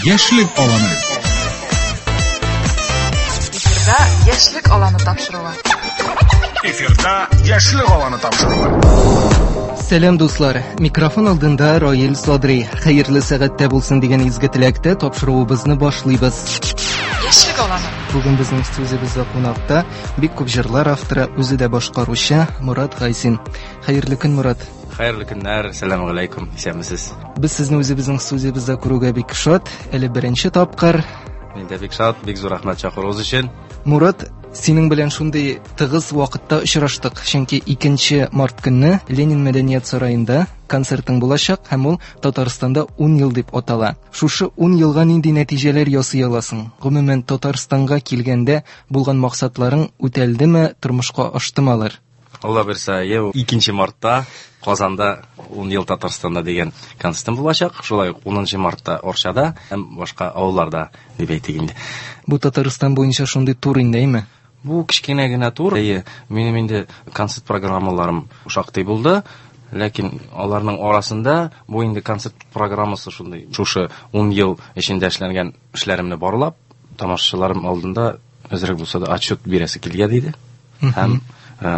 Яшьлек аланы. Эфирда Яшьлек аланы тапшыруы. Эфирда Яшьлек аланы тапшыруы. Сәлам, дуслар! Микрофон алдында Раил Садри. Хәерле сәгатьтә булсын дигән изге теләктә тапшыруыбызны башлыйбыз. Яшьлек аланы. Бүген безнең студиябездә кунакта бик күп җырлар авторы, үзе дә башкаручы Мурат Гайсин. Хәерле көн, Мурат. Хәерле көннәр, сәлам алейкум, исәнмесез. Без сезне үзебезнең студиябездә күрүгә бик шат. Әле беренче тапкыр. Мин дә бик шат, бик зур рәхмәт чакыруыгыз өчен. Мурат, синең белән шундый тыгыз вакытта очраштык, чөнки 2 март көнне Ленин мәдәният сараенда концертың булачак һәм ул Татарстанда 10 ел дип атала. Шушы 10 елга нинди нәтиҗәләр ясый аласың? Гомумән, Татарстанга килгәндә булган максатларың үтәлдеме, тормышка аштымы алар? Алла бирсә, 2 мартта Казанда 10 ел Татарстанда дигән концертым булачак. Шулай ук 10 мартта Орчада һәм башка авылларда дип әйтик инде. Бу Татарстан буенча шундый тур инде, әйме? Бу кечкенә генә тур. Әйе, минем инде концерт программаларым шактый булды. Ләкин аларның арасында бу инде концерт программасы шундый. Шушы 10 ел эчендә эшләнгән эшләремне барлап, тамашачыларым алдында әзрәк булса да отчет бирәсе килгән иде. Һәм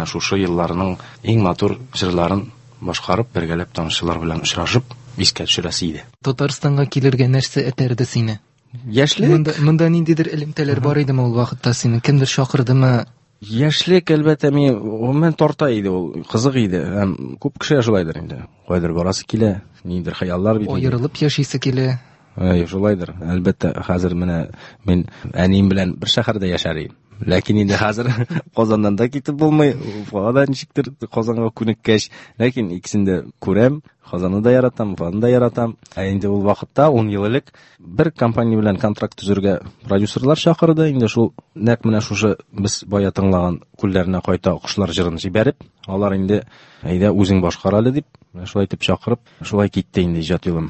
шушы елларның иң матур җырларын башкарып, бергәләп тамашачылар белән очрашып, искә төшерәсе иде. Татарстанга килергә нәрсә этәрде сине? Яшьлек. Монда ниндидер элемтәләр бар идеме ул вакытта синең? Кемдер чакырдымы? Яшьлек, әлбәттә, мин гомумән тарта иде ул, кызык иде. Һәм күп кешегә шулайдыр инде. Кайдыр барасы килә, ниндидер хыяллар бит инде. Аерылып яшисе килә. Әй, шулайдыр. Әлбәттә, хәзер менә мин әнием белән бер шәһәрдә яшәр идем. Ләкин инде хәзер Казаннан да китеп булмый, Уфага да ничектер Казанга күнеккәч, ләкин икесен дә күрәм, Казанны да яратам, Уфаны да яратам. Ә инде ул вакытта 10 ел элек бер компания белән контракт төзергә продюсерлар чакырды. Инде шул нәкъ менә шушы без бая тыңлаган Күлләренә кайта кошлар җырын җибәреп, алар инде әйдә үзең башкар әле дип, менә шулай итеп чакырып, шулай китте инде иҗат юлым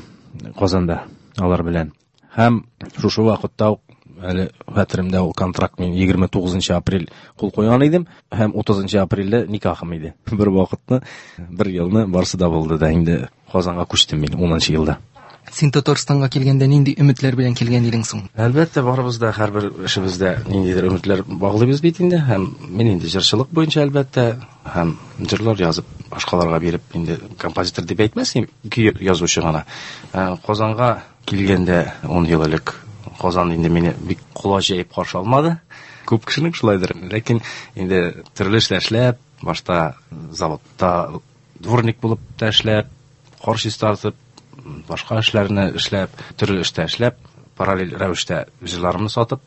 Казанда алар белән. Һәм шушы вакытта ук әле хәтеремдә ул контракт мин 29 апрель кул куйган идем һәм 30 апрельдә никахым иде. Бер вакытны, бер елны барысы да булды да инде Казанга күчтем мин 10 елда. Син Татарстанга килгәндә нинди өметләр белән килгән идең соң? Әлбәттә, барыбыз да һәрбер эшебездә ниндидер өметләр баглыйбыз бит инде. Һәм мин инде җырчылык буенча әлбәттә, һәм җырлар язып башкаларга биреп инде композитор дип әйтмәс идем, көй язучы гына. Казанга килгәндә 10 ел элек Казан инде мине бик колач җәеп каршы алмады. Күп кешенең шулайдыр. Ләкин инде төрле эшләр эшләп, башта заводта дворник булып та эшләп, кар чистартып, башка эшләрне эшләп, төрле эштә эшләп, параллель рәвештә җырларымны сатып,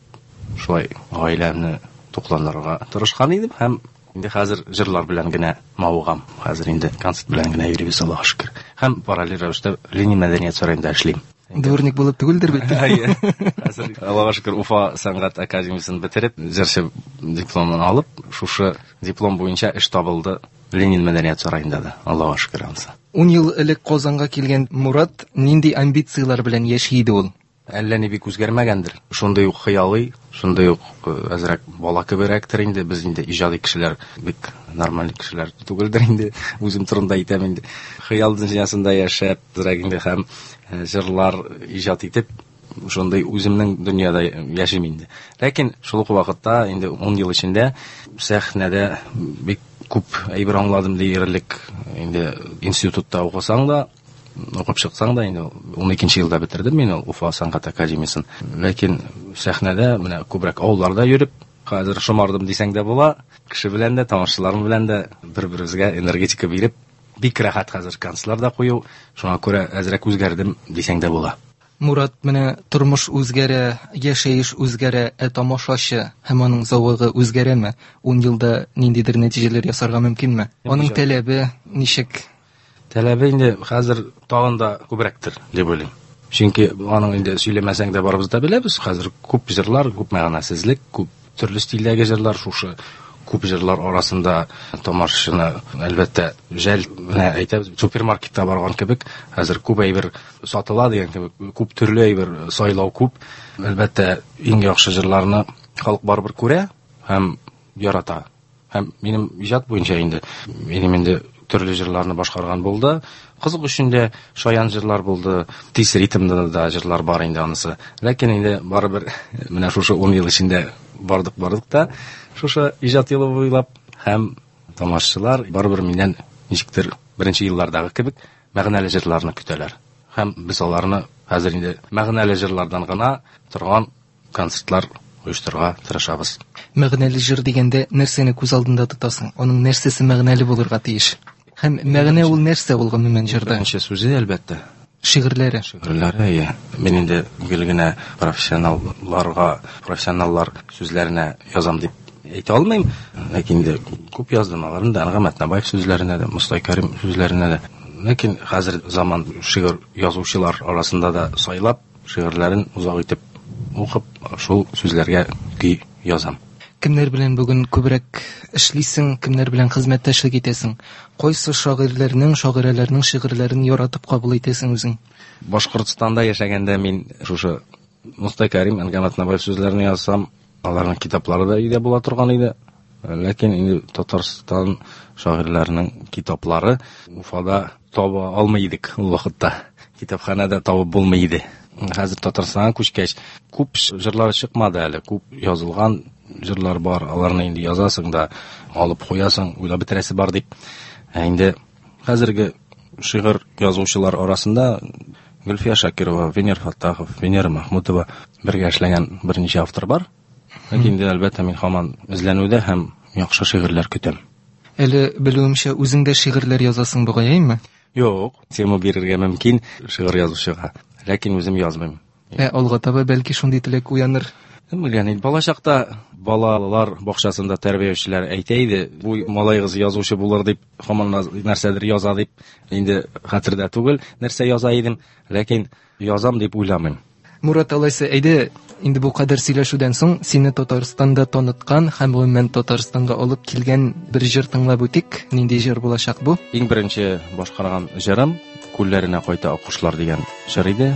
шулай гаиләмне тукландырырга тырышкан идем һәм инде хәзер җырлар белән генә мавыгам. Хәзер инде концерт белән генә йөрибез, Аллаһка шөкер. Һәм параллель рәвештә Ленин мәдәният сараенда эшлим. Дворник булып түгелдер бит? Әйе. Хәзер Аллаһка шөкер Уфа сәнгать академиясен бетереп, җырчы дипломын алып, шушы диплом буенча эш табылды Ленин мәдәният сараенда да. Аллаһка шөкер ансы. 10 ел элек Казанга килгән Мурат нинди амбицияләр белән яши иде ул? Әллә ни бик үзгәрмәгәндер. Шундый ук хыялый, шундый ук әзрәк бала кеберәктер инде. Без инде иҗади кешеләр, бик нормаль кешеләр түгелдер инде. Үзем турында әйтәм инде. Хыял дөньясында яшәп, әзрәк инде һәм җырлар иҗат итеп, шундый үземнең дөньяда яшим инде. Ләкин шул ук вакытта инде 10 ел эчендә сәхнәдә бик күп әйбер аңладым диярлек. Инде институтта укысаң да, укып чыксаң да, инде 12 елда бетердем мин ул Уфа сәнгать академиясен. Ләкин сәхнәдә менә күбрәк авылларда йөреп, хәзер шомардым дисәң дә була. Кеше белән дә, тамашачыларым белән дә бер-беребезгә энергетика биреп, бик рәхәт хәзер концертлар да кую. Шуңа күрә әзрәк үзгәрдем дисәң дә була. Мурат, менә тормыш үзгәрә, яшәеш үзгәрә, ә тамашачы һәм аның зәвыгы үзгәрәме? 10 елда ниндидер нәтиҗәләр ясарга мөмкинме? Аның таләбе ничек? Таләбе инде хәзер тагын да күбрәктер дип уйлыйм. Чөнки аның инде сөйләмәсәң дә барыбыз да беләбез, хәзер күп җырлар, күп мәгънәсезлек, күп төрле стильдәге җырлар, шушы күп җырлар арасында тамашачыны әлбәттә жәл, менә әйтәбез, супермаркетта барган кебек, хәзер күп әйбер сатыла дигән кебек, күп төрле әйбер сайлау күп. Әлбәттә, иң яхшы җырларны халык барыбер күрә һәм ярата. Һәм минем иҗат буенча инде, минем инде Төрле җырларны башкарган булды. Кызык өчен дә шаян җырлар булды. Тиз ритмда да җырлар бар инде анысы. Ләкин инде барыбер менә шушы 10 ел эчендә бардык-бардык та шушы иҗат юлы буйлап һәм тамашачылар барыбер миннән ничектер беренче еллардагы кебек мәгънәле җырларны көтәләр. Һәм без аларны хәзер инде мәгънәле җырлардан гына торган концертлар оештырырга тырышабыз. Мәгънәле җыр дигәндә нәрсәне күз алдында тотасың? Аның нәрсәсе мәгънәле булырга тиеш? Һәм мәгънә ул нәрсә ул гомумән җырда? Беренче сүзе, әлбәттә. Шигырьләре. Шигырьләре, әйе. Мин инде гел генә профессионалларга, профессионаллар сүзләренә язам дип әйтә алмыйм. Ләкин инде күп яздым аларны да, Әнгам Атнабаев сүзләренә дә, Мостай Кәрим сүзләренә дә. Ләкин хәзер заман шигырь язучылар арасында да сайлап, шигырьләрен озак итеп укып, шул сүзләргә көй язам. Кемнәр белән бүген күбрәк эшлисең, кемнәр белән хезмәттәшлек итәсең? Кайсы шагыйрьләрнең, шагыйрәләрнең шигырьләрен яратып кабул итәсең үзең? Башкортстанда яшәгәндә мин шушы Мостай Кәрим, Әнгам Атнабаев сүзләрен язсам, аларның китаплары да өйдә була торган иде. Ләкин инде Татарстан шагыйрьләренең китаплары Уфада таба алмый идек ул вакытта. Китапханәдә табып булмый иде. Хәзер Татарстанга күчкәч, күп җырлар чыкмады әле, күп язылган җырлар бар, аларны инде язасың да, алып куясың, уйлап бетерәсе бар дип. Ә инде хәзерге шигырь язучылар арасында Гөлфия Шакирова, Венер Фаттахов, Венера Махмутова бергә эшләгән берничә автор бар. Ләкин инде, әлбәттә, мин һаман эзләнүдә һәм яхшы шигырьләр көтәм. Әле, белүемчә, үзең дә шигырьләр язасың бугай, әйеме? Юк, тема бирергә мөмкин шигырь язучыга, ләкин үзем язмыйм. Ә алга таба бәлки шундый теләк уяныр. Кем белгән инде, балачакта балалар бакчасында тәрбиячеләр әйтә иде, бу малаегыз язучы булыр дип, һаман нәрсәдер яза дип, инде хәтердә түгел, нәрсә яза идем, ләкин язам дип уйламыйм. Мурат, алайса, әйдә, инде бу кадәр сөйләшүдән соң сине Татарстанда таныткан һәм гомумән Татарстанга алып килгән бер җыр тыңлап үтик. Нинди җыр булачак бу? Иң беренче башкарган җырым Күлләренә кайта аккошлар дигән җыр иде.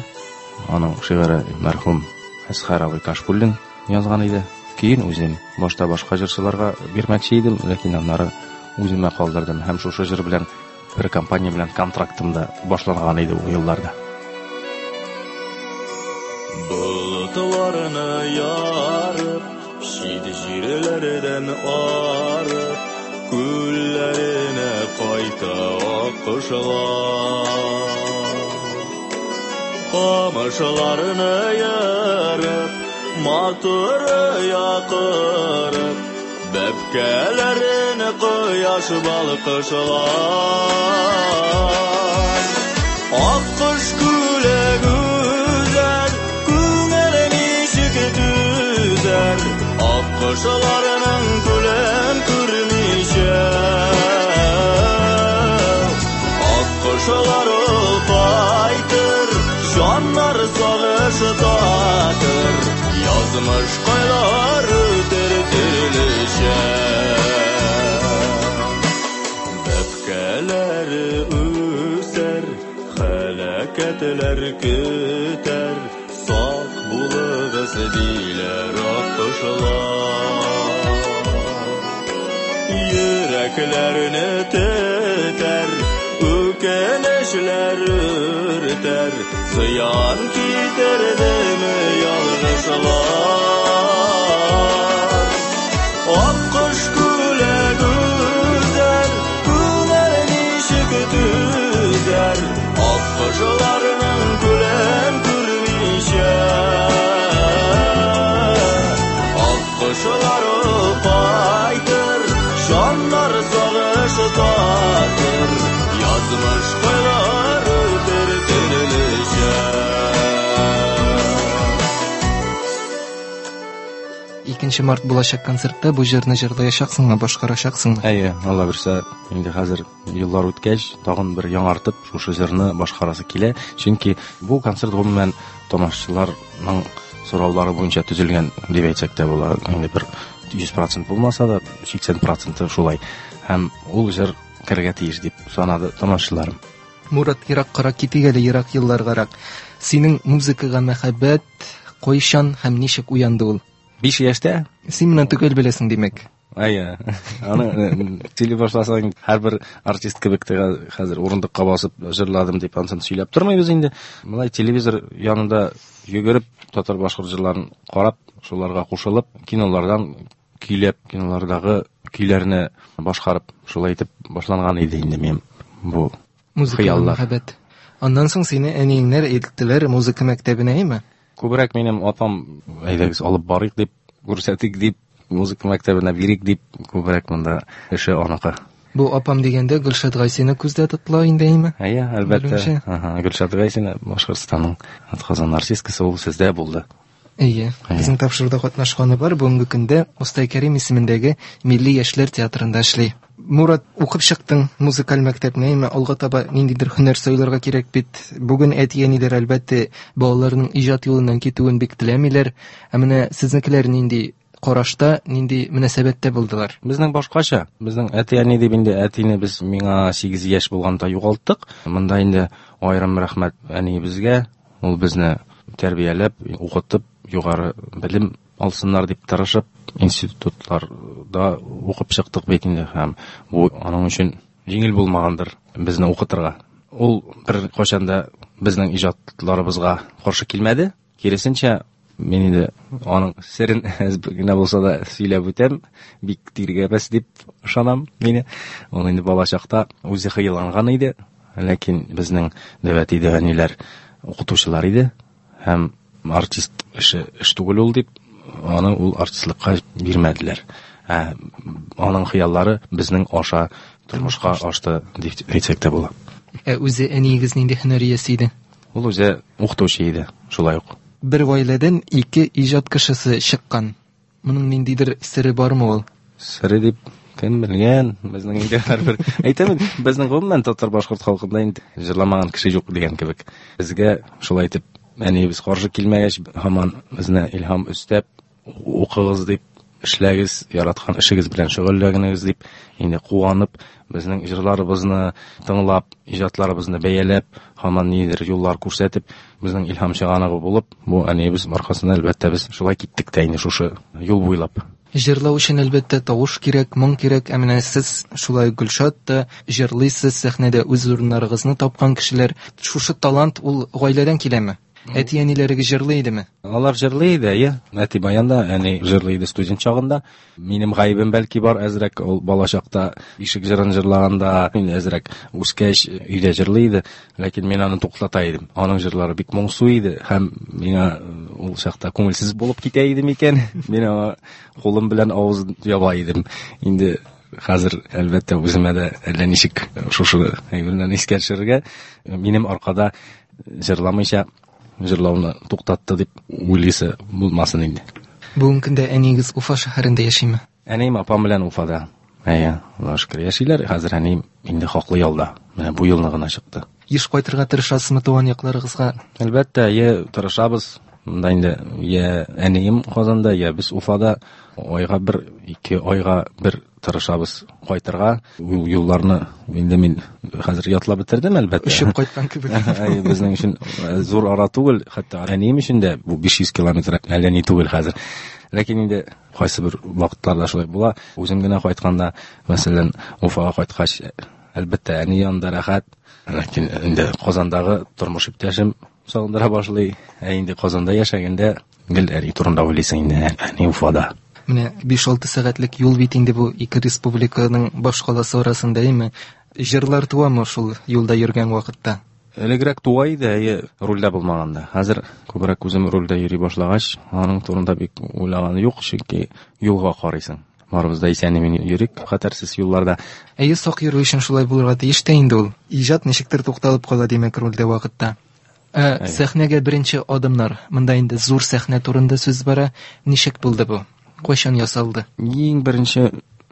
Аның шигыре мәрхүм Әсхәр абый Кашкуллин язган иде. Көен үзем башта башка җырчыларга бирмәкче идем, ләкин аннары үземә калдырдым һәм шушы җыр белән бер компания белән контрактым да башланган иде ул елларда. Болытларны ярып, чит җирләрдән арып, күлләренә кайта аккошлар. Камышларны ярып, матур якырып, бәбкәләрен кояш балкышлар. Аккош күле гүзәл, күңел ничек түзәр, аккошларның күлен күрмичә. Аккошлар ул кайтыр, җаннар сагыш татыр, язмыш кайлар үтер төрлечә. Бәбкәләре үсәр, хәләкәтләр көтәр, сак булыгыз диләр аккошлар. Йөрәкләрне тетәр, үкенечләр үртәр, зыян китердеме ялгышлар. Аккош күле гүзәл, күңел ничек түзәр, аккошларның күлен күрмичә. Аккошлар ул кайтыр, җаннар сагыш татыр, язмыш кайлар үтер төрлечә. 2 март булачак концертта бу җырны җырлаячаксыңмы, башкарачаксыңмы? Әйе, Алла бирсә, инде хәзер еллар үткәч, тагын бер яңартып шушы җырны башкарасы килә. Чөнки бу концерт гомумән тамашачыларның сораулары буенча төзелгән дип әйтсәк тә була. Инде бер 100% булмаса да, 80% шулай. Һәм ул җыр керергә тиеш дип санады тамашачыларым. Мурат, ераккарак китик әле, ерак елларгарак. Синең музыкага мәхәббәт кайчан һәм ничек уянды ул? 5 яшьтә. Син моны төгәл беләсең, димәк. Әйе. Аны сөйли башласаң, һәрбер артист кебек тә хәзер урындыкка басып җырладым дип ансын сөйләп тормыйбыз инде. Болай телевизор янында йөгереп татар башкорт җырларын карап, шуларга кушылып, кинолардан көйләп, кинолардагы көйләрне башкарып, шулай итеп башланган иде инде минем бу Музыкага хыяллар. мәхәббәт. Аннан соң сине әниеңнәр илттеләр музыка мәктәбенә, әйме? Күбрәк минем апам, әйдәгез алып барыйк дип, күрсәтик дип, музыка мәктәбенә бирик дип, күбрәк монда эше аныкы. Бу апам дигәндә Гөлшат Гайсина күздә тотыла инде, әйме? Әйе, әлбәттә. Белүемчә. Аһа, Гөлшат Гайсина Башкортстанның атказанган артисткасы, ул сездә булды. Әйе. Әйе. Безнең тапшыруда катнашканы бар. Бүгенге көндә Мостай Кәрим исемендәге Милли яшьләр театрында эшли. Мурат, укып чыктың музыкаль мәктәпне, әйме? Алга таба ниндидер һөнәр сайларга кирәк бит. Бүген әти-әниләр әлбәттә балаларының иҗат юлыннан китүен бик теләмиләр. Ә менә сезнекеләр нинди карашта, нинди мөнәсәбәттә булдылар? Безнең башкача. Безнең әти-әни дип инде әтине без миңа 8 яшь булганда югалттык. Монда инде аерым рәхмәт әниебезгә. Ул безне тәрбияләп, укытып, югары белем алсыннар дип тырышып, институтларда укып чыктык бит инде һәм бу аның өчен җиңел булмагандыр безне укытырга. Ул бер кайчан да безнең иҗатларыбызга каршы килмәде. Киресенчә, мин инде аның серен әз генә булса да сөйләп үтәм, бик тиргәмәс дип ышанам мине. Ул инде балачакта үзе хыялланган иде, ләкин безнең дәү әти, дәү әниләр укытучылар иде һәм артист эше эш түгел ул дип, аны ул артистлыкка бирмәделәр. Ә аның хыяллары безнең аша тормышка ашты дип әйтсәк тә була. Ә үзе әниегез нинди һөнәр иясе иде? Ул үзе укытучы иде, шулай ук. Бер гаиләдән ике иҗат кешесе чыккан. Моның ниндидер сере бармы ул? Сере дип кем белгән? Безнең инде һәрбер әйтәм, безнең гомумән татар башкорт халкында инде җырламаган кеше юк дигән кебек. Безгә шулай итеп әниебез каршы килмәгәч, һаман безне илһам өстәп, укыгыз дип, эшләгез, яраткан эшегез белән шөгыльләнегез дип, инде куанып, безнең җырларыбызны тыңлап, иҗатларыбызны бәяләп, һаман нидер юллар күрсәтеп, безнең илһам чыганагы булып, бу әниебез аркасында әлбәттә без шулай киттек тә инде шушы юл буйлап. Җырлау өчен әлбәттә тавыш кирәк, моң кирәк. Ә менә сез шулай Гөлшат та җырлыйсыз, сәхнәдә үз урыннарыгызны тапкан кешеләр. Шушы талант ул гаиләдән киләме? Әти-әниләрегез җырлый идеме? Алар җырлый иде, әйе. Әти баянда, әни җырлый иде студент чагында. Минем гаебем бәлки бар, әзрәк ул балачакта ишек җырын җырлаганда, инде әзрәк үскәч өйдә җырлый иде, ләкин мин аны туктата идем. Аның җырлары бик моңсу иде һәм миңа ул чакта күңелсез булып китә иде микән? Мин аңа кулым белән авыз яба идем. Инде хәзер әлбәттә үземә дә әллә ничек шушы әйберне искә төшерергә, минем аркада җырламыйча җырлауны туктатты дип уйлыйсы булмасын инде. Бүгенге көндә әниегез Уфа шәһәрендә яшиме? Әнием апам белән Уфада. Әйе, Аллаһка шөкер яшиләр. Хәзер әнием инде хаклы ялда. Менә бу елны гына чыкты. Еш кайтырга тырышасызмы туган якларыгызга? Әлбәттә, әйе, тырышабыз. Монда инде я әнием Казанда, я без Уфада. Айга бер, ике айга бер тырышабыз кайтырга. Ул юлларны инде мин хәзер ятлап бетердем, әлбәттә. Очып кайткан кебек. Әйе, безнең өчен зур ара түгел, хәтта әнием өчен дә бу 500 километр әллә ни түгел хәзер. Ләкин инде кайсы бер вакытларда шулай була. Үзем генә кайтканда, мәсәлән, Уфага кайткач, әлбәттә, әни янында рәхәт. Ләкин инде Казандагы тормыш иптәшем сагындыра башлый. Ә инде Казанда яшәгәндә гел әни турында уйлыйсың инде, әни Уфада. Менә 5-6 сәгатьлек юл бит инде бу ике республиканың башкаласы арасында, әйме? Җырлар туамы шул юлда йөргән вакытта? Элегрәк туа иде, әйе, рульдә булмаганда. Хәзер күбрәк үзем рульдә йөри башлагач, аның турында бик уйлаган юк, чөнки юлга карыйсың. Барыбыз да исән-имин йөрик, хәтәрсез юлларда. Әйе, сак йөрү өчен шулай булырга тиеш тә инде ул. Иҗат ничектер тукталып кала, димәк, рульдә вакытта. Ә сәхнәгә беренче адымнар, монда инде зур сәхнә турында сүз бара, ничек булды бу? Кайчан ясалды? Иң беренче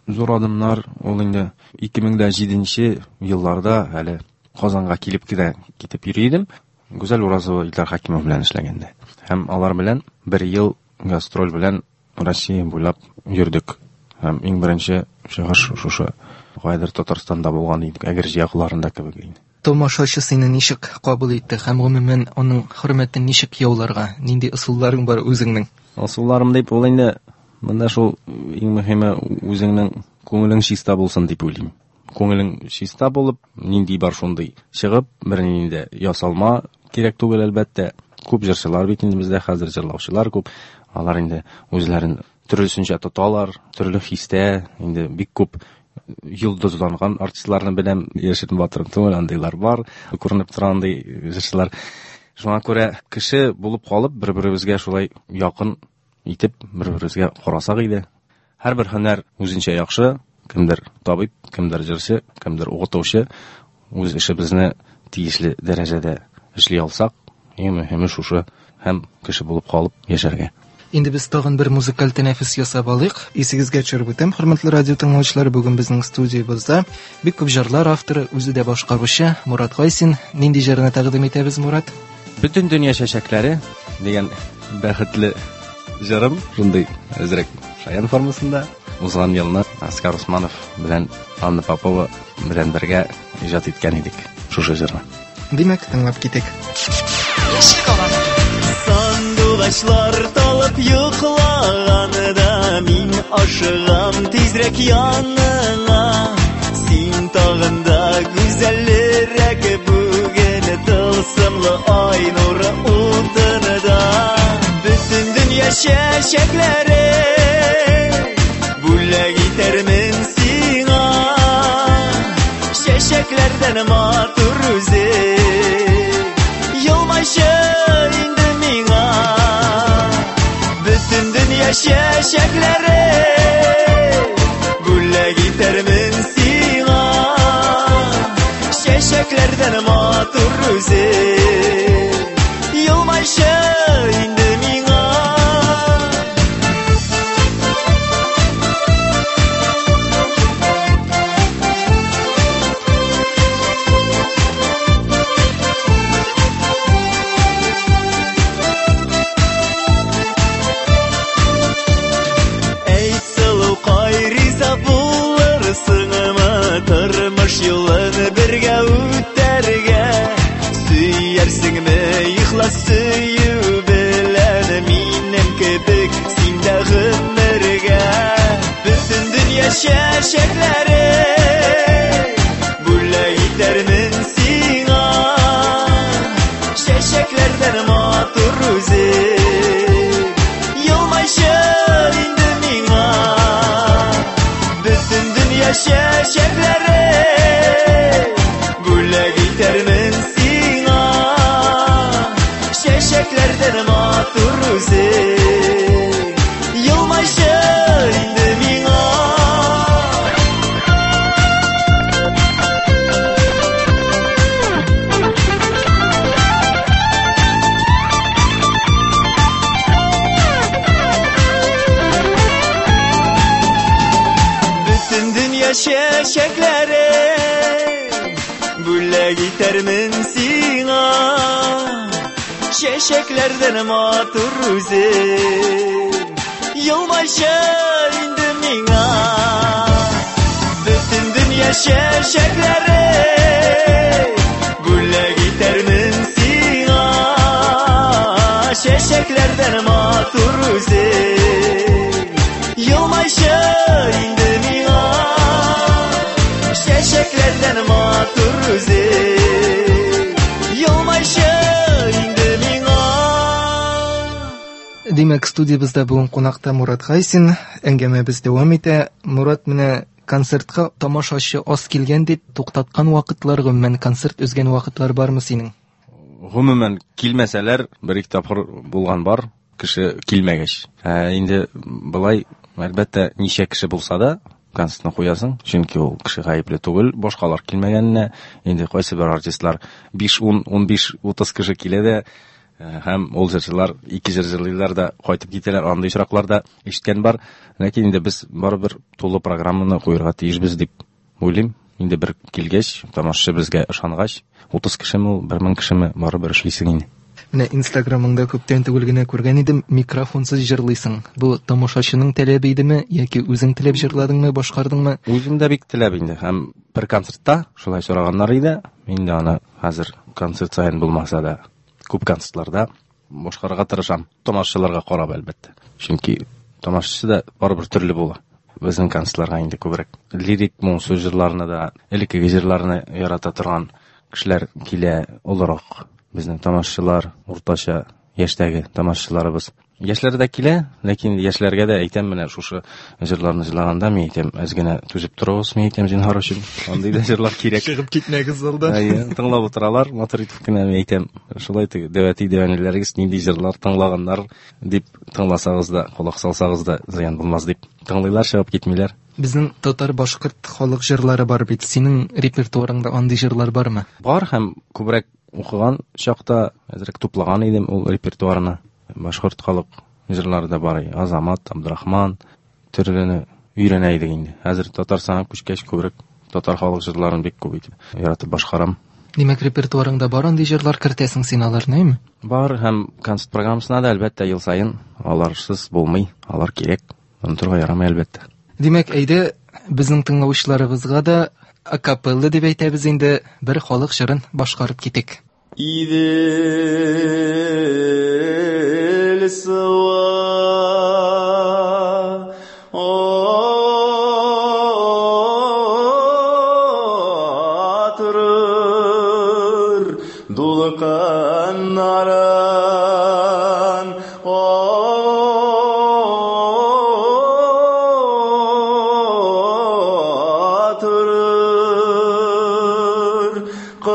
зур адымнар ул инде 2007 елларда әле Казанга килеп кенә китеп йөри идем. Гүзәл Уразова Илдар Хакимов белән эшләгәндә. Һәм алар белән бер ел гастроль белән Россия буйлап йөрдек. Һәм иң беренче чыгыш шушы кайдыр Татарстанда булган иде, Әгерҗе якларында кебек инде. Тамашачы сине ничек кабул итте һәм гомумән аның хөрмәтен ничек яуларга? Нинди ысулларың бар үзеңнең? Ысулларым дип ул инде Монда шул иң мөһиме үзеңнең күңелең чиста булсын дип уйлыйм. Күңелең чиста булып, нинди бар шундый чыгып, бернинди дә ясалма кирәк түгел, әлбәттә. Күп җырчылар бит инде бездә хәзер, җырлаучылар күп. Алар инде үзләрен төрлесенчә тоталар, төрле хистә, инде бик күп йолдызланган артистларны беләм, яшерен батырын түгел, андыйлар бар, күренеп тора андый җырчылар. Шуңа күрә кеше булып калып, бер-беребезгә шулай якын итеп, бер-беребезгә карасак иде. Һәрбер һөнәр үзенчә яхшы, кемдер табиб, кемдер җырчы, кемдер укытучы. Үз эшебезне тиешле дәрәҗәдә эшли алсак, иң мөһиме шушы һәм кеше булып калып яшәргә. Инде без тагын бер музыкаль тәнәфес ясап алыйк. Исегезгә төшереп үтәм, хөрмәтле радио тыңлаучылар, бүген безнең студиябездә бик күп җырлар авторы, үзе дә башкаручы Мурат Гайсин. Нинди җырны тәкъдим итәбез, Мурат? Бөтен дөнья чәчәкләре дигән бәхетле җырым, шундый әзрәк шаян формасында. Узган елны Аскар Усманов белән Анна Попова белән бергә иҗат иткән идек шушы җырны. Димәк, тыңлап китик. Яшьлек аланы. Сандугачлар талып йоклаганда мин ашыгам тизрәк яныңа. Син тагын да гүзәлрәк бүген тылсымлы ай нуры утында. Бөтен дөнья чәчәкләре бүләк итәрмен сиңа. Чәчәкләрдән матур үзе елмайчы инде миңа. Бөтен дөнья чәчәкләре бүләк итәрмен сиңа. Чәчәкләрдән матур үзе елмайчы инде миңа. Әйт, сылукай, риза булырсыңмы тормыш юлын бергә үтәргә? Сөярсеңме ихлас сөю белән минем кебек син дә гомергә? Бөтен дөнья чәчәкләре бүләк итәрмен сиңа. Чәчәкләрдән матур үзе елмайчы инде миңа. Бөтен дөнья чәчәкләре бүләк итәрмен сиңа. Чәчәкләрдән матур үзе елмайчы инде миңа. Бөтен дөнья чәчәкләре бүләк итәрмен сиңа. Чәчәкләрдән матур үзе елмайчы инде миңа. Бөтен дөнья чәчәкләре бүләк итәрмен сиңа. Чәчәкләрдән матур үзе елмайчы инде миңа. Чәчәкләрдән матур үзе елмайчы инде миңа. Димәк, студиябездә бүген кунакта Мурат Гайсин. Әңгәмәбез дәвам итә. Мурат, менә концертка тамашачы аз килгән дип туктаткан вакытлар, гомумән концерт өзгән вакытлар бармы синең? Гомумән килмәсәләр, бер-ике тапкыр булган бар, кеше килмәгәч. Инде былай, әлбәттә, ничә кеше булса да концертны куясың, чөнки ул кеше гаепле түгел, башкалар килмәгәненә. Инде кайсы бер артистлар биш, ун, ун биш, утыз кеше килә дә, һәм ул җырчылар ике җыр җырлыйлар да кайтып китәләр. Андый очраклар да ишеткән бар. Ләкин инде без барыбер тулы программаны куярга тиешбез дип уйлыйм. Инде бер килгәч, тамашачы безгә ышангач, утыз кешеме ул, бер мең кешеме, барыбер эшлисең инде. Менә Инстаграмыңда күптән түгел генә күргән идем, микрофонсыз җырлыйсың. Бу тамашачының таләбе идеме яки үзең теләп җырладыңмы, башкардыңмы? Үзем дә бик теләп инде. Һәм бер концертта шулай сораганнар иде. Мин дә аны хәзер концерт саен булмаса да, күп концертларда башкарырга тырышам. Тамашачыларга карап, әлбәттә. Чөнки Тамашачы да барыбер төрле була. Безнең концертларга инде күбрәк лирик моңсу җырларны да, элеккеге җырларны ярата торган кешеләр килә, олырак. Безнең тамашачылар, уртача яшьтәге тамашачыларыбыз. Яшьләр дә килә, ләкин яшьләргә дә әйтәм, менә шушы җырларны җырлаганда мин әйтәм, әз генә түзеп торыгыз, мин әйтәм, зинһар өчен. Андый да җырлар кирәк. Чыгып китмәгез залдан. Әйе, тыңлап утыралар, матур итеп кенә мин әйтәм. Шулай теге дәвәти дәвәниләрегез нинди җырлар тыңлаганнар дип тыңласагыз да, колак салсагыз да зыян булмас дип. Тыңлыйлар, чыгып китмиләр. Безнең татар-башкорт халык җырлары бар бит. Синең репертуарыңда андый җырлар бармы? Бар һәм күбрәк укыган чакта әзрәк туплаган идем ул репертуарны. Башкорт халык җырлары да бар. Азамат, Абдрахман төрлене өйрәнә идек инде. Хәзер Татарстанга күчкәч күбрәк татар халык җырларын бик күп итеп яратып башкарам. Димәк, репертуарыңда бар андый җырлар, кертәсең син аларны, әйме? Бар һәм концерт программасына да әлбәттә ел саен аларсыз булмый, алар кирәк. Онытырга ярамый әлбәттә. Димәк, әйдә безнең тыңлаучыларыбызга да акапелла дип әйтәбез инде, бер халык җырын башкарып китик. Идел суы Атырыр дулкыннарын Атырыр кылыч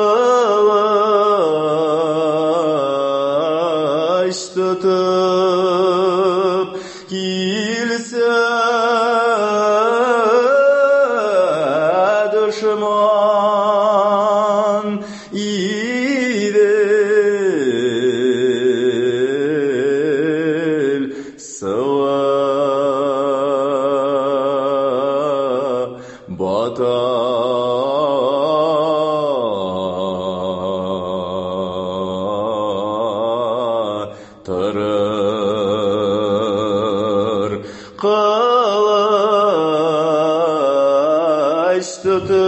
тотып килсә дошман Идел суы бата торыр кылыч тотып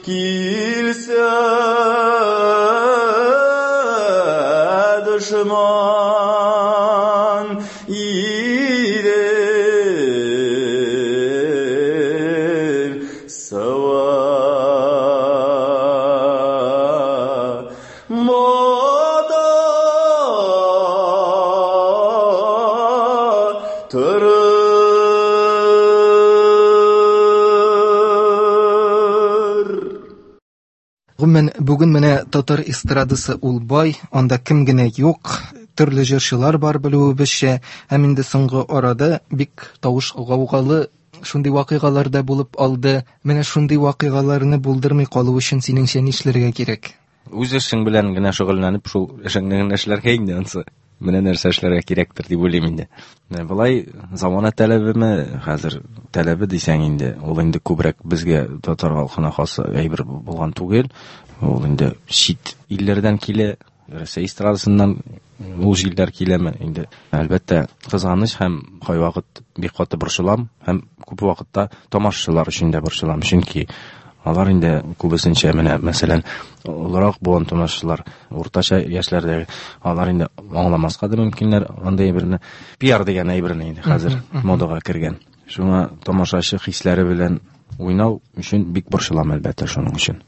килсә дошман Идел суы бата торыр. Гомумән, бүген менә татар эстрадасы ул бай, анда кем генә юк, төрле җырчылар бар белүебезчә, һәм инде соңгы арада бик тавыш гаугалы шундый вакыйгалар да булып алды. Менә шундый вакыйгаларны булдырмый калу өчен синеңчә нишләргә кирәк? Үз эшең белән генә шөгыльләнеп, шул эшеңне генә эшләргә инде ансы. Менә нәрсә эшләргә кирәктер дип уйлыйм инде. Менә болай замана таләбеме, хәзер таләбе дисәң инде, ул инде күбрәк безгә татар халкына хас әйбер булган түгел. Ул инде чит илләрдән килә, Рәсәй эстрадасыннан ул җилләр киләме инде. Әлбәттә, кызганыч һәм кайвакыт бик каты борчылам һәм күп вакытта тамашачылар өчен дә борчылам, чөнки алар инде күбесенчә менә, мәсәлән, олырак буын тамашачылар, уртача яшьләрдәге, алар инде аңламаска да мөмкиннәр андый әйберне. Пиар дигән әйберне инде хәзер модага кергән. Шуңа тамашачы хисләре белән уйнау өчен бик борчылам әлбәттә шуның өчен.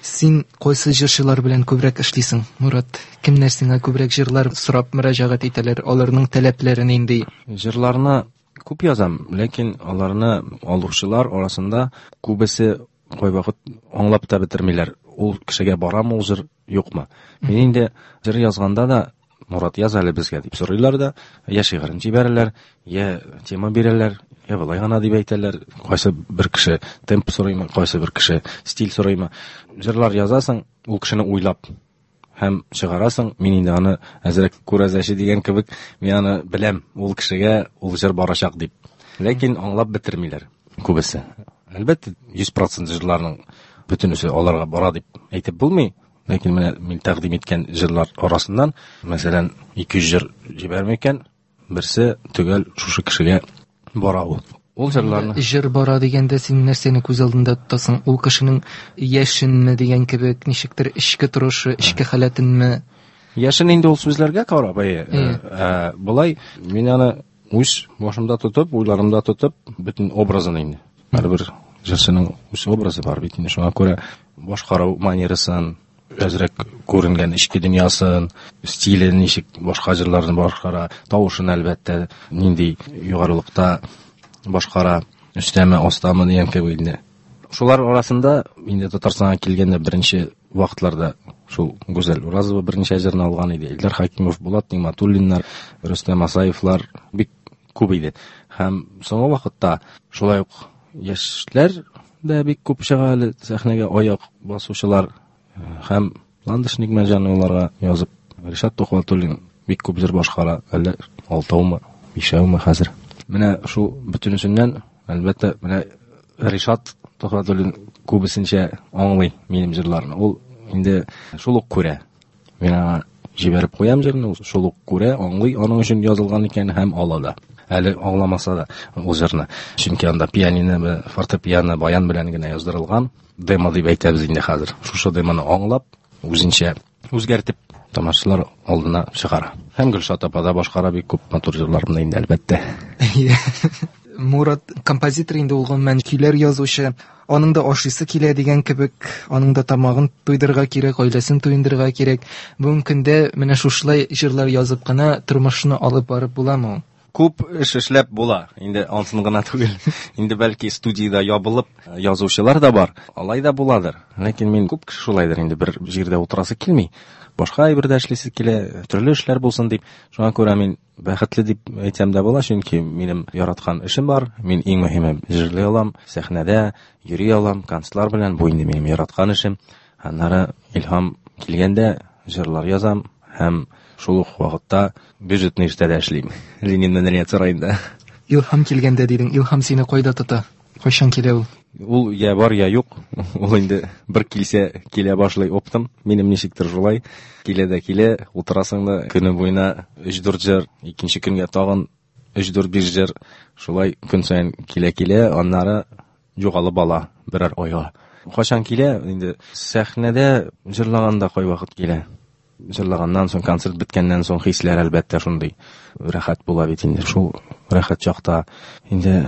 Син кайсы җырчылар белән күбрәк эшлисең, Мурат? Кемнәр сиңа күбрәк җырлар сорап мөрәҗәгать итәләр? Аларның таләпләре нинди? Җырларны күп язам, ләкин аларны алучылар арасында күбесе кайвакыт аңлап та бетермиләр. Ул кешегә барамы ул җыр, юкмы? Мин инде җыр язганда да Мурат яз әле безгә дип сорыйлар да, я шигырен җибәрәләр, я тема бирәләр, я болай гына дип әйтәләр. Кайсы бер кеше темп сорыймы, кайсы бер кеше стиль сорыймы. Җырлар язасың, ул кешене уйлап һәм чыгарасың. Мин инде аны әзрәк күрәзәче дигән кебек, мин аны беләм, ул кешегә ул җыр барачак дип. Ләкин аңлап бетермиләр күбесе. Әлбәттә, 100% җырларның бөтенесе аларга бара дип әйтеп булмый. Ләкин менә мин тәкъдим иткән җырлар арасыннан, мәсәлән, 200 җыр җибәрми икән, берсе төгәл шушы кешегә бара ул. Ул җырларны Җыр бара дигәндә син нәрсәне күз алдында тотасың? Ул кешенең яшенме дигән кебек, ничектер эчке торышы, эчке халәтенме? Яшен инде ул сүзләргә карап, әйе. Болай мин аны үз башымда тотып, уйларымда тотып, бөтен образын инде. Һәрбер җырчының үз образы бар бит инде. Шуңа күрә башкару манерасын, әзрәк күренгән эчке дөньясын, стиле ничек башка җырларны башкара, тавышын әлбәттә нинди югарылыкта башкара, өстәме, астамы дигән кебек инде. Шулар арасында инде Татарстанга килгәндә беренче вакытларда шул Гүзәл Уразова берничә җырны алган иде. Илдар Хакимов, Булат Нигъмәтуллиннар, Рөстәм Асаевлар бик күп иде. Һәм соңгы вакытта шулай ук яшьләр дә бик күп чыга әле сәхнәгә аяк басучылар һәм Ландыш Нигъмәтҗановаларга язып Ришат Тухватуллин бик күп җыр башкара, әллә алтаумы, бишәүме хәзер. Менә шул бөтенесеннән, әлбәттә, менә Ришат Тухватуллин күбесенчә аңлый минем җырларны. Ул инде шул ук күрә. Мин аңа җибәреп куям җырны, ул шул ук күрә, аңлый, аның өчен язылган икән һәм ала да. Әле аңламаса да ул җырны. Чөнки анда пианино, фортепиано, баян белән генә яздырылган. Демо дип әйтәбез инде хәзер. Шушы демоны аңлап, үзенчә үзгәртеп тамашачылар алдына чыгара. Һәм Гөлшат апа да башкара бик күп матур җырларны инде, әлбәттә. Мурат композитор инде ул, гомумән көйләр язучы. Аның да ашыйсы килә дигән кебек, аның да тамагын туйдырырга кирәк, гаиләсен туендырырга кирәк. Бүгенге көндә менә шушылай җырлар язып кына тормышны алып барып буламы ул? Күп эш эшләп була. Инде ансын гына түгел. Инде бәлки студиядә ябылып язучылар да бар. Алай да буладыр. Ләкин мин күп кеше шулайдыр инде, бер җирдә утырасы килми. Башка әйбер дә эшлисе килә, төрле эшләр булсын дип. Шуңа күрә мин бәхетле дип әйтсәм дә була, чөнки минем яраткан эшем бар. Мин иң мөһиме җырлый алам, сәхнәдә йөри алам, концертлар белән. Бу инде минем яраткан эшем. Аннары илһам килгәндә җырлар язам һәм шул ук вакытта бюджетный эштә дә эшлим. Ленин мәдәният сараенда. Илһам килгәндә дидең, илһам сине кайда тота? Кайчан килә ул? Ул я бар, я юк. Ул инде бер килсә, килә башлый оптом. Минем ничектер шулай. Килә дә килә, утырасың да көне буена өч-дүрт җыр, икенче көнгә тагын өч-дүрт-биш җыр. Шулай көн саен килә-килә, аннары югалып ала берәр айга. Кайчан килә? Инде сәхнәдә җырлаганда кайвакыт килә. Җырлаганнан соң, концерт беткәннән соң хисләр әлбәттә шундый рәхәт була бит инде. Шул рәхәт чакта инде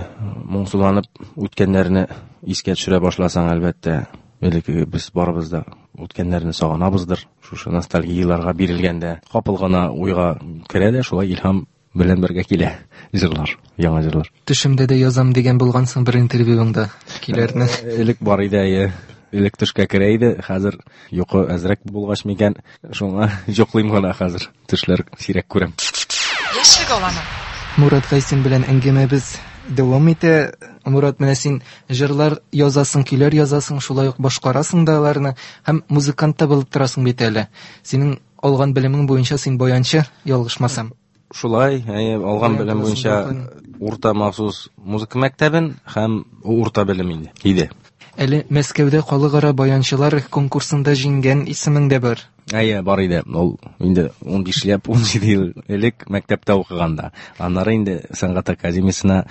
моңсуланып үткәннәрне искә төшерә башласаң, әлбәттә, элеккеге без барыбыз да үткәннәрне сагынабыздыр. Шушы ностальгияларга бирелгәндә капыл гына уйга керә дә, шулай илһам белән бергә килә җырлар, яңа җырлар. Төшемдә дә язам дигән булгансың бер интервьюңда көйләрне. Элек бар иде, әйе. Элек төшкә керә иде, хәзер йокы әзрәк булгач микән, шуңа йоклыйм гына хәзер. Төшләр сирәк күрәм. Яшьлек аланы. Мурат Гайсин белән әңгәмәбез дәвам итә. Мурат, менә син җырлар язасың, көйләр язасың, шулай ук башкарасың да аларны һәм музыкант та булып торасың бит әле. Синең алган белемең буенча син баянчы, ялгышмасам. Шулай, әйе, алган Баян белем классын буенча укыдың. урта махсус музыка мәктәбен һәм урта белем инде иде. Әле Мәскәүдә халыкара баянчылар конкурсында җиңгән исемең дә бар. Әйе, бар иде. Ул инде унбишләп, унҗиде ел элек мәктәптә укыганда. Аннары инде сәнгать академиясенә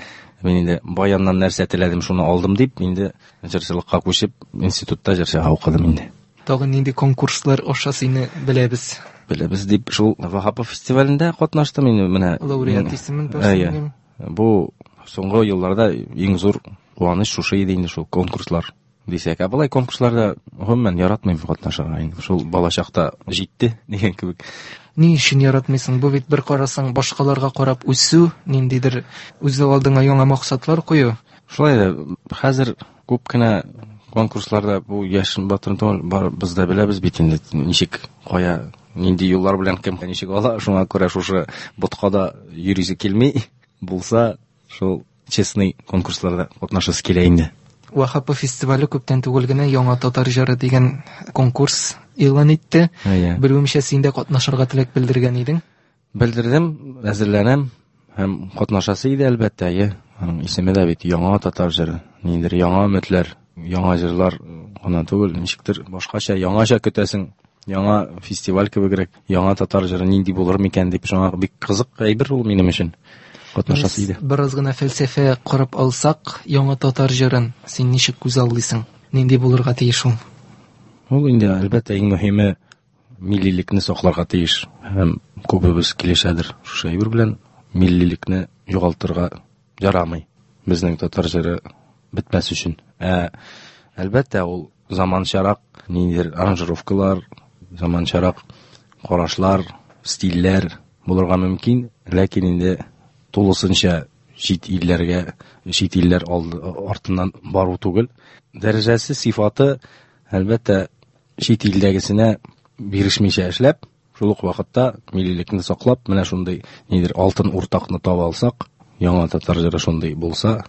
мин инде баяннан нәрсә теләдем, шуны алдым дип, инде җырчылыкка күчеп, институтта җырчыга укыдым инде. Тагын нинди конкурслар аша сине беләбез? Беләбез дип, шул Ваһапов фестивалендә катнаштым инде менә. Лауреат исемен Әйе. бирсен. Бу соңгы елларда иң зур куаныч шушы иде инде, шул конкурслар дисәк. Ә болай конкурсларда гомумән яратмыйм катнашырга инде. Шул балачакта җитте дигән кебек. Ни өчен яратмыйсың? Бу бит бер карасаң башкаларга карап үсү, ниндидер үз алдыңа яңа максатлар кую. Шулай да хәзер күп кенә конкурсларда бу яшен батырын түгел, бар без дә беләбез бит инде ничек, кая, нинди юллар белән кем ничек ала, шуңа күрә шушы боткада йөрисе килми. Булса, шул честный конкурсларда катнашасы килә инде. Ваһапов фестивале күптән түгел генә Яңа татар җыры дигән конкурс игълан итте. Әйе. Белүемчә, син дә катнашырга теләк белдергән идең. Белдердем, әзерләнәм һәм катнашасы иде әлбәттә, әйе. Аның исеме дә бит Яңа татар җыры. Ниндидер яңа өметләр, яңа җырлар гына түгел, ничектер башкача, яңача көтәсең. Яңа фестиваль кебегрәк, яңа татар җыры нинди булыр микән дип, шуңа бик кызык әйбер ул минем өчен. Катнашасы иде. Бераз гына фәлсәфә корып алсак, яңа татар җырын син ничек күзаллыйсың? Нинди булырга тиеш ул? Ул инде әлбәттә иң мөһиме миллилекне сакларга тиеш. Һәм күбебез килешәдер шушы әйбер белән. Миллилекне югалтырга ярамый. Безнең татар җыры бетмәс өчен. Әлбәттә, ул заманчарак ниндидер аранжировкалар, заманчарак карашлар, стильләр булырга мөмкин, ләкин инде тулысынча чит илләргә, чит илләр артыннан бару түгел. Дәрәҗәсе, сифаты, әлбәттә, чит илдәгесенә бирешмичә эшләп, шул ук вакытта миллилекне саклап, менә шундый нидер алтын уртакны таба алсак, яңа татар җыры шундый булса,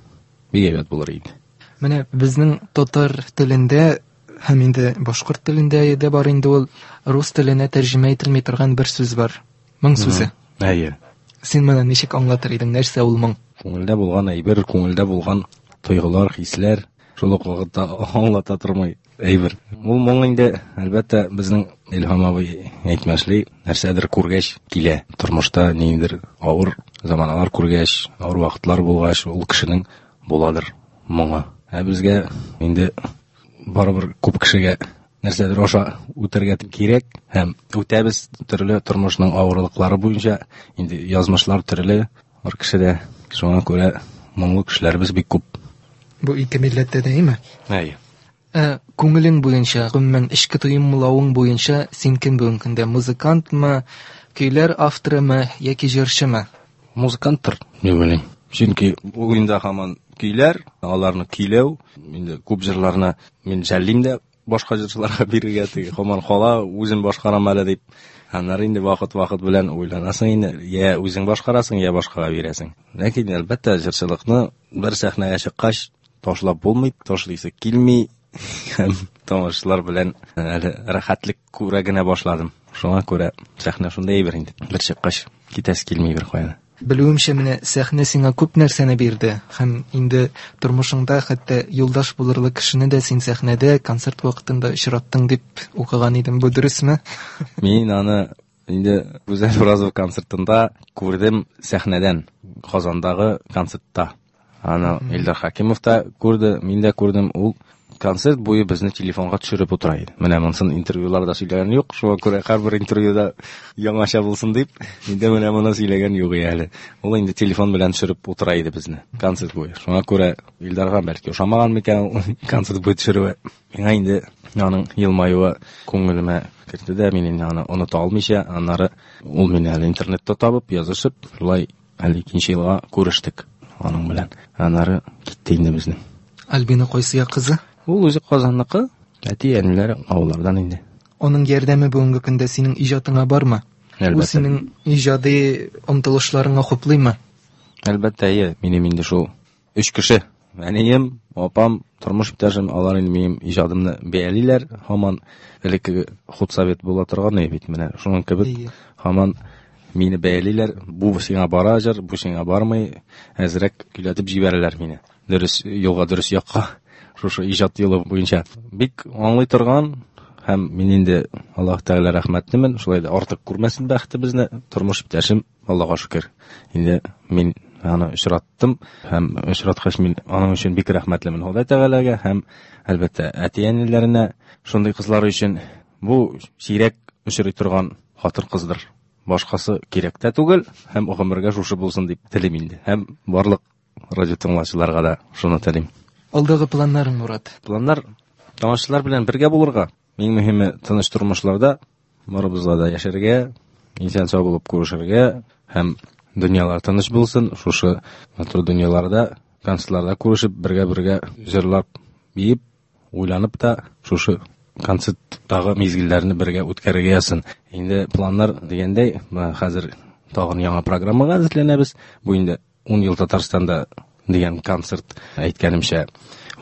бик әйбәт булыр иде. Менә безнең татар телендә һәм инде башкорт телендә дә бар инде ул рус теленә тәрҗемә ителми торган бер сүз бар. Моң сүзе. Әйе. Син моны ничек аңлатыр идең? Нәрсә ул моң? Күңелдә булган әйбер, күңелдә булган тойгылар, хисләр, шул ук вакытта аңлата тормый әйбер. Ул моң инде, әлбәттә, безнең Илһам абый әйтмешли, нәрсәдер күргәч килә. Тормышта ниндидер авыр заманалар күргәч, авыр вакытлар булгач, ул кешенең буладыр моңы. Ә безгә инде барыбер күп кешегә нәрсәдер аша үтәргә кирәк һәм үтәбез төрле тормышның авырлыклары буенча. Инде язмышлар төрле һәр кешедә. Шуңа күрә моңлы кешеләребез бик күп. Бу ике милләттә дә, әйме? Әйе. Күңелең буенча, гомумән, эчке тоемлавың буенча син кем бүгенге көндә? Музыкантмы, көйләр авторымы яки җырчымы? Музыканттыр, дип уйлыйм. Чөнки уенда һаман көйләр, аларны көйләү, инде күп җырларны мин жәллим дә башка җырчыларга бирергә, теге һаман кала, үзем башкарам әле дип. Аннары инде вакыт-вакыт белән уйланасың инде, я үзең башкарасың, я башкага бирәсең. Ләкин әлбәттә җырчылыкны бер сәхнәгә чыккач ташлап булмый, ташлыйсы килми. Һәм тамашачылар белән әле рәхәтлек күрә генә башладым. Шуңа күрә сәхнә шундый әйбер инде. Бер чыккач китәсе килми бер кая. Белүемчә, менә сәхнә сиңа күп нәрсәне бирде һәм инде тормышыңда хәтта юлдаш булырлык кешене дә син сәхнәдә концерт вакытында очраттың дип укыган идем. Бу дөресме? Мин аны инде Гүзәл Уразова концертында күрдем сәхнәдән, Казандагы концертта. Аны Илдар Хакимов та күрде, мин дә күрдем. Ул концерт буе безне телефонга төшереп утыра иде. Менә монысын интервьюларда сөйләгән юк, шуңа күрә һәрбер интервьюда яңача булсын дип, инде менә моны сөйләгән юк әле. Ул инде телефон белән төшереп утыра иде безне концерт буе. Шуңа күрә Илдарга бәлки ошамаган микән ул концерт буе төшерүе. Миңа инде аның елмаюы күңелемә керде дә, мин инде аны оныта алмыйча, аннары ул мине әле интернетта табып, язышып, шулай әле икенче елга күрештек аның белән. Аннары китте инде безнең. Альбина кайсы як кызы? Ул үзе Казанныкы, әти-әниләре авыллардан инде. Аның ярдәме бүгенге көндә синең иҗатыңа бармы? Ул Әлбәттә. синең иҗади омтылышларыңа хуплыймы? Әлбәттә, әйе. Минем инде шул өч кеше. Әнием, апам, тормыш иптәшем, алар инде минем иҗадымны бәялиләр. Һаман элеккеге худсовет була торган иде бит менә. Шуның кебек Әйе. һаман мине бәялиләр. Бу сиңа бара җыр, бу сиңа бармый. Әзрәк көйләтеп җибәрәләр мине. Дөрес юлга, дөрес якка. Шушы иҗат юлы буенча бик аңлый торган һәм мин инде Аллаһ Тәгалә рәхмәтлемен. Шулай да артык күрмәсен бәхетебезне. Тормыш иптәшем, Аллаһка шөкер. Инде мин аны очраттым һәм очраткач мин аның өчен бик рәхмәтлемен Ходай Тәгаләгә һәм әлбәттә әти-әниләренә шундый кызлар өчен. Бу сирәк очрый торган хатын-кыздыр. Башкасы кирәк тә түгел һәм гомергә шушы булсын дип телим инде. Һәм барлык радио тыңлаучыларга да шуны телим. Алдагы планнарың, Мурат? Планнар тамашачылар белән бергә булырга. Иң мөһиме тыныч тормышларда барыбызга да яшәргә, исән сау булып күрешергә һәм дөньялар тыныч булсын. Шушы матур дөньяларда, концертларда күрешеп, бергә-бергә җырлап, биеп, уйланып та шушы концерттагы мизгелләрне бергә үткәрергә язсын. Инде планнар дигәндәй, менә хәзер тагын яңа программага әзерләнәбез. Бу инде 10 ел Татарстанда дигән концерт, әйткәнемчә,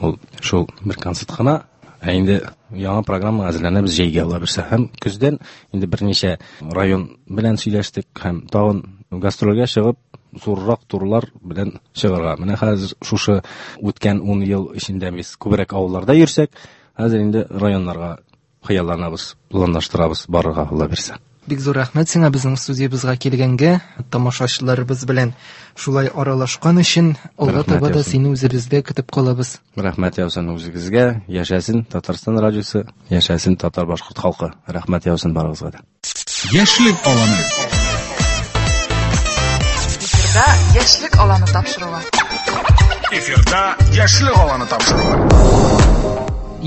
ул шул бер концерт кына. Ә инде яңа программа әзерләнәбез җәйгә ала бирсә. Һәм көздән инде берничә район белән сөйләштек һәм тагын гастрольгә чыгып, зуррак турлар белән чыгарга. Менә хәзер шушы үткән 10 ел эчендә без күбрәк авылларда йөрсәк, хәзер инде районнарга хыялланабыз, планлаштырабыз барырга ала бирсә. Бик зур рәхмәт сиңа безнең студиябезгә килгәнгә, тамашачыларыбыз белән шулай аралашкан өчен. Алга таба да сине үзебездә көтеп калабыз. Рәхмәт яусын үзегезгә, яшәсен Татарстан радиосы, яшәсен татар-башкорт халкы. Рәхмәт яусын барыгызга да. Яшьлек аланы. Эфирда Яшьлек аланы тапшыруы. Эфирда Яшьлек аланы тапшыруы.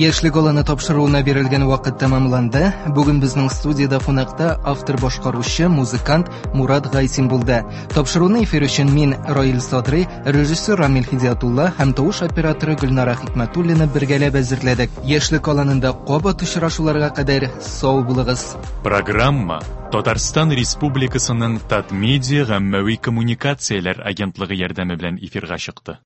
Яшьлек аланы тапшыруына бирелгән вакыт тәмамланды. Бүген безнең студиядә кунакта автор-башкаручы, музыкант Мурат Гайсин булды. Тапшыруны эфир өчен мин, Раил Садрый, режиссер Рамил Хидиятулла һәм тавыш операторы Гөлнара Хикмәтуллина бергәләп әзерләдек. Яшьлек аланында кабат очрашуларга кадәр сау булыгыз. Программа Татарстан Республикасының Татмедиа гаммәви коммуникацияләр агентлыгы ярдәме белән эфирга чыкты.